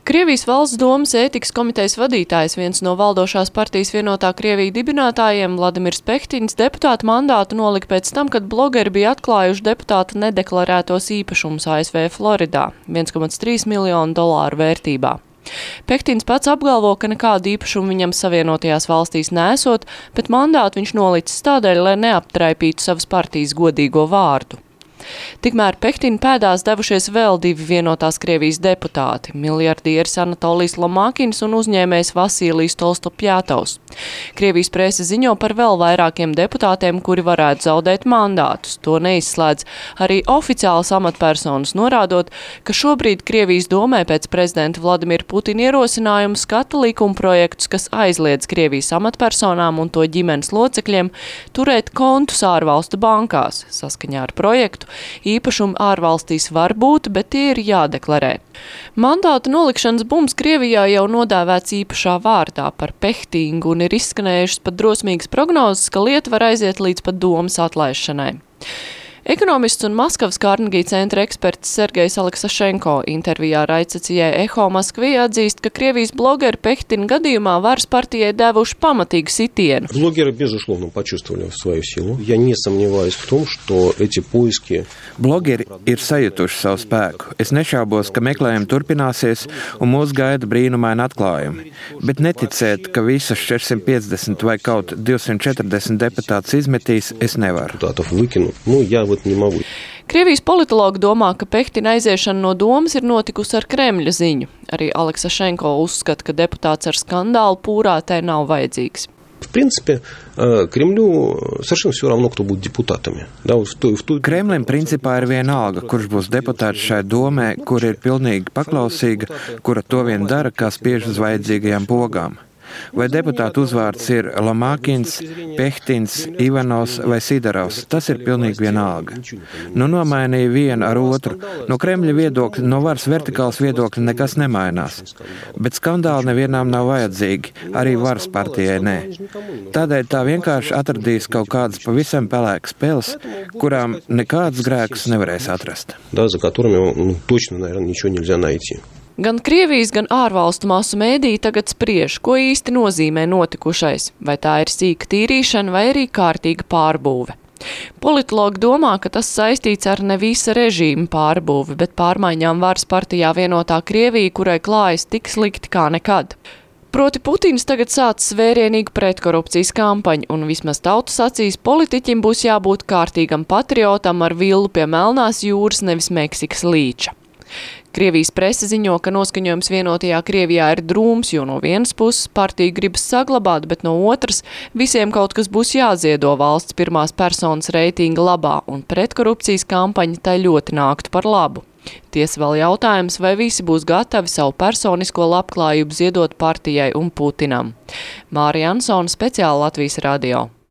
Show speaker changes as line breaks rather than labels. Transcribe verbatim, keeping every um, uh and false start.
Krievijas valsts domas ētikas komitejas vadītājs, viens no valdošās partijas Vienotā Krievija dibinātājiem, Vladimirs Pehtins, deputāta mandātu nolika pēc tam, kad blogeri bija atklājuši deputāta nedeklarētos īpašumus A S V Floridā - viens komats trīs miljonu dolāru vērtībā. Pehtins pats apgalvo, ka nekādu īpašumu viņam Savienotajās valstīs nesot, bet mandātu viņš nolicis tādēļ, lai neaptraipītu savas partijas godīgo vārdu. Tikmēr Pehtina pēdās devušies vēl divi Vienotās Krievijas deputāti - miljardieris Anatolijs Lomākins un uzņēmējs Vasilijs Tolstopjātovs. Krievijas prese ziņo par vēl vairākiem deputātiem, kuri varētu zaudēt mandātus. To neizslēdz arī oficiālas amatpersonas, norādot, ka šobrīd Krievijas domē pēc prezidenta Vladimira Putina ierosinājuma skata likumprojektus, kas aizliedz Krievijas amatpersonām un to ģimenes locekļiem turēt kontus ārvalstu bankās. Saskaņā ar projektu īpašumi ārvalstīs var būt, bet tie ir jādeklarē. Mandātu nolikšanas bums Krievijā jau nodēvēts īpašā vārdā par Pehtingu un ir izskanējušas pat drosmīgas prognozes, ka lieta var aiziet līdz pat domas atlaišanai. Ekonomists un Maskavas Carnegie centra eksperts Sergejs Aleksašenko intervijā raidstacijai Eho Maskvī atzīst, ka Krievijas blogeri Pehtina gadījumā varas partijai devuši pamatīgu sitienu.
Блогеры, безусловно, почувствовали свою силу. Я не сомневаюсь в том, что эти поиски...
Blogeri ir sajutuši savu spēku. Es nešaubos, ka meklējumi turpināsies un mūs gaida brīnumaini atklājumi. Bet neticēt, ka visas četrsimt piecdesmit vai kaut divsimt četrdesmit deputātus izmetīs, es nevaru.
Nu, я вот не могу.
Krievijas politologi domā, ka Pehtina aiziešana no domas ir notikusi ar Kremļa ziņu. Arī Aleksašenko uzskata, ka deputāts ar skandālu pūrā tai nav vajadzīgs.
В принципе, Кремлю совершенно все равно, кто будет депутатами.
Kremlim principā ir vienalga, kurš būs deputāts šai domē, kur ir pilnīgi paklausīga, kura to vien dara, kā spiež uz vajadzīgajām pogām. Vai deputātu uzvārds ir Lomākins, Pehtins, Ivanovs vai Sidarovs, tas ir pilnīgi vienalga. Nu nomainīja vienu ar otru. No Kremļa viedokļa, no varas vertikāls viedokļa nekas nemainās. Bet skandāli nevienām nav vajadzīgi, arī varas partijai nē. Tādēļ tā vienkārši atradīs kaut kādas pavisam pelēkas peles, kurām nekādas grēkus nevarēs atrast.
Да, за которыми, ну, точно, наверное, ничего нельзя найти.
Gan Krievijas, gan ārvalstu masu mēdīji tagad spriež, ko īsti nozīmē notikušais, vai tā ir sīka tīrīšana vai arī kārtīga pārbūve. Politologi domā, ka tas saistīts ar ne visa režīma pārbūvi, bet pārmaiņām varas partijā Vienotā Krievija, kurai klājas tik slikti kā nekad. Proti Putins tagad sācis vērienīgu pretkorupcijas kampaņu, un vismaz tautas acīs politiķim būs jābūt kārtīgam patriotam ar villu pie Melnās jūras, nevis Meksikas līča. Krievijas prese ziņo, ka noskaņojums Vienotajā Krievijā ir drūms, jo no vienas puses partija gribas saglabāt, bet no otras visiem kaut kas būs jāziedo valsts pirmās personas reitinga labā, un pretkorupcijas kampaņa tai ļoti nāktu par labu. Tiesa vēl jautājums, vai visi būs gatavi savu personisko labklājību ziedot partijai un Putinam. Mārija Ansona, speciāli Latvijas radio.